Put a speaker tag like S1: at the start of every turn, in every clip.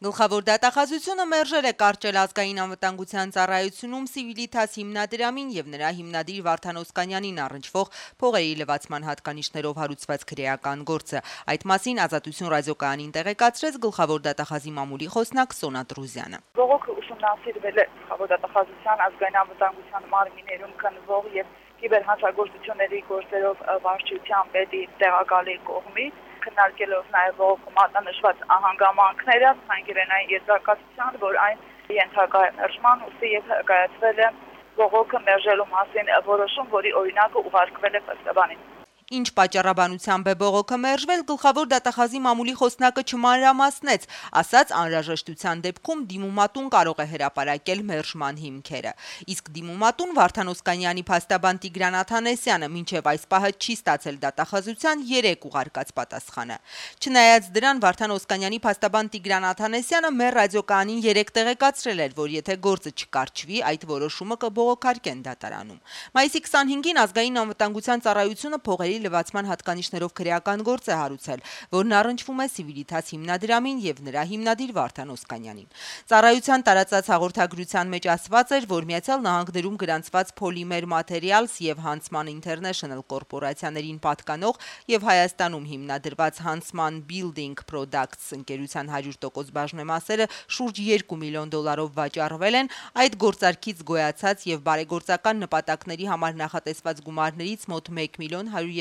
S1: Գլխավոր դատախազությունը մերժել է կարճել ազգային անվտանգության ծառայությունում Civitas հիմնադրամին եւ նրա հիմնադիր Վարդան Օսկանյանին առնչվող փողերի լվացման հատկանիշներով հարուցված քրեական գործը։ Այդ մասին Ազատություն ռադիոկայանին տեղեկացրեց գլխավոր դատախազի մամուլի խոսնակ Սոնա Տրուզյանը։
S2: Բողոքը ուսումնասիրվել է գլխավոր դատախազության ազգային անվտանգության մարմիններում քննվող եւ կիբերհանցագործությունների գործերով վարչության պետի տեղակալի կողմից, քննարկելով նաև բողոքի մատնանշված հանգամանքները, հանգրենային եզրակացության, որ այն ենթակա է մերժման, ուստի եւ կայացվել է բողոքը մերժելու մասին որոշում, որի օրինակը ուղարկվել է փաստաբանին։
S1: Ինչ պատճառաբանությամբ է բողոքը մերժվել, գլխավոր դատախազի մամուլի խոսնակը չմանրամասնեց, ասաց անհրաժեշտության դեպքում դիմումատուն կարող է հրապարակել մերժման հիմքերը։ Իսկ դիմումատուն Վարդան Օսկանյանի փաստաբան Տիգրան Աթանեսյանը մինչև այս պահը չի ստացել դատախազության 3 ուղարկած պատասխանը։ Չնայած դրան, Վարդան Օսկանյանի փաստաբան Տիգրան Աթանեսյանը մեր ռադիոկայանին 3 տեղեկացրել էր, որ եթե գործը չկարճվի, այդ որոշումը կբողոքարկեն դատարանում։ Մայիսի 25-ին ազգային անվտանգության ծառայությունը փողերի լվացման հատկանիշներով քրեական գործ է հարուցել, որն առնչվում է Civitas հիմնադրամին եւ նրա հիմնադիր Վարդան Օսկանյանին։ Ծառայության տարածած հաղորդագրության մեջ ասված էր, որ Միացյալ Նահանգներում գրանցված Polymer Materials եւ Huntsman International կորպորացիաներին պատկանող եւ Հայաստանում հիմնադրված Huntsman Building Products ընկերության 100% բաժնեմասերը շուրջ $2 միլիոն վաճառվել են, այդ գործարքից գոյացած եւ բարեգործական նպատակների համար նախատեսված գումարներից մոտ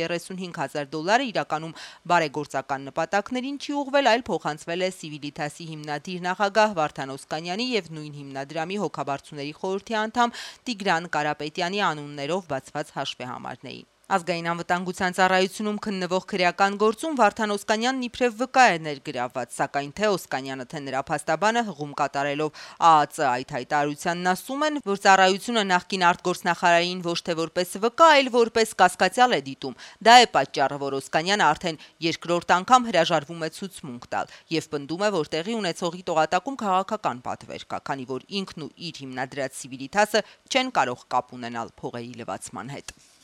S1: $1,135,000 իրականում բարեգործական նպատակներին չի ուղղվել, այլ փոխանցվել է Civitas-ի հիմնադիր նախագահ Վարդան Օսկանյանի եւ նույն հիմնադրամի հոգաբարձուների խորհրդի անդամ Տիգրան Կարապետյանի անուններով բացված հաշվեհամարներին։ Ազգային անվտանգության ծառայությունում քննվող քրեական գործում Վարդան Օսկանյանն իբրև վկա է ներգրավված, սակայն թե Օսկանյանը, թե նրա փաստաբանը հղում կատարելով ԱԱԾ այդ հայտարարությանն ասում են, որ ծառայությունը նախկին արտգործնախարարին ոչ թե որպես վկա, այլ որպես կասկածյալ է դիտում։ Դա է պատճառը, որ Օսկանյանը արդեն երկրորդ անգամ հրաժարվում է ցուցմունք տալ եւ պնդում է, որ տեղի ունեցողի տողատակում քաղաքական պատվեր կա, քանի որ ինքն ու իր հիմնադրած Civitas-ը չեն կարող կապ ունենալ փողերի լվացման հետ։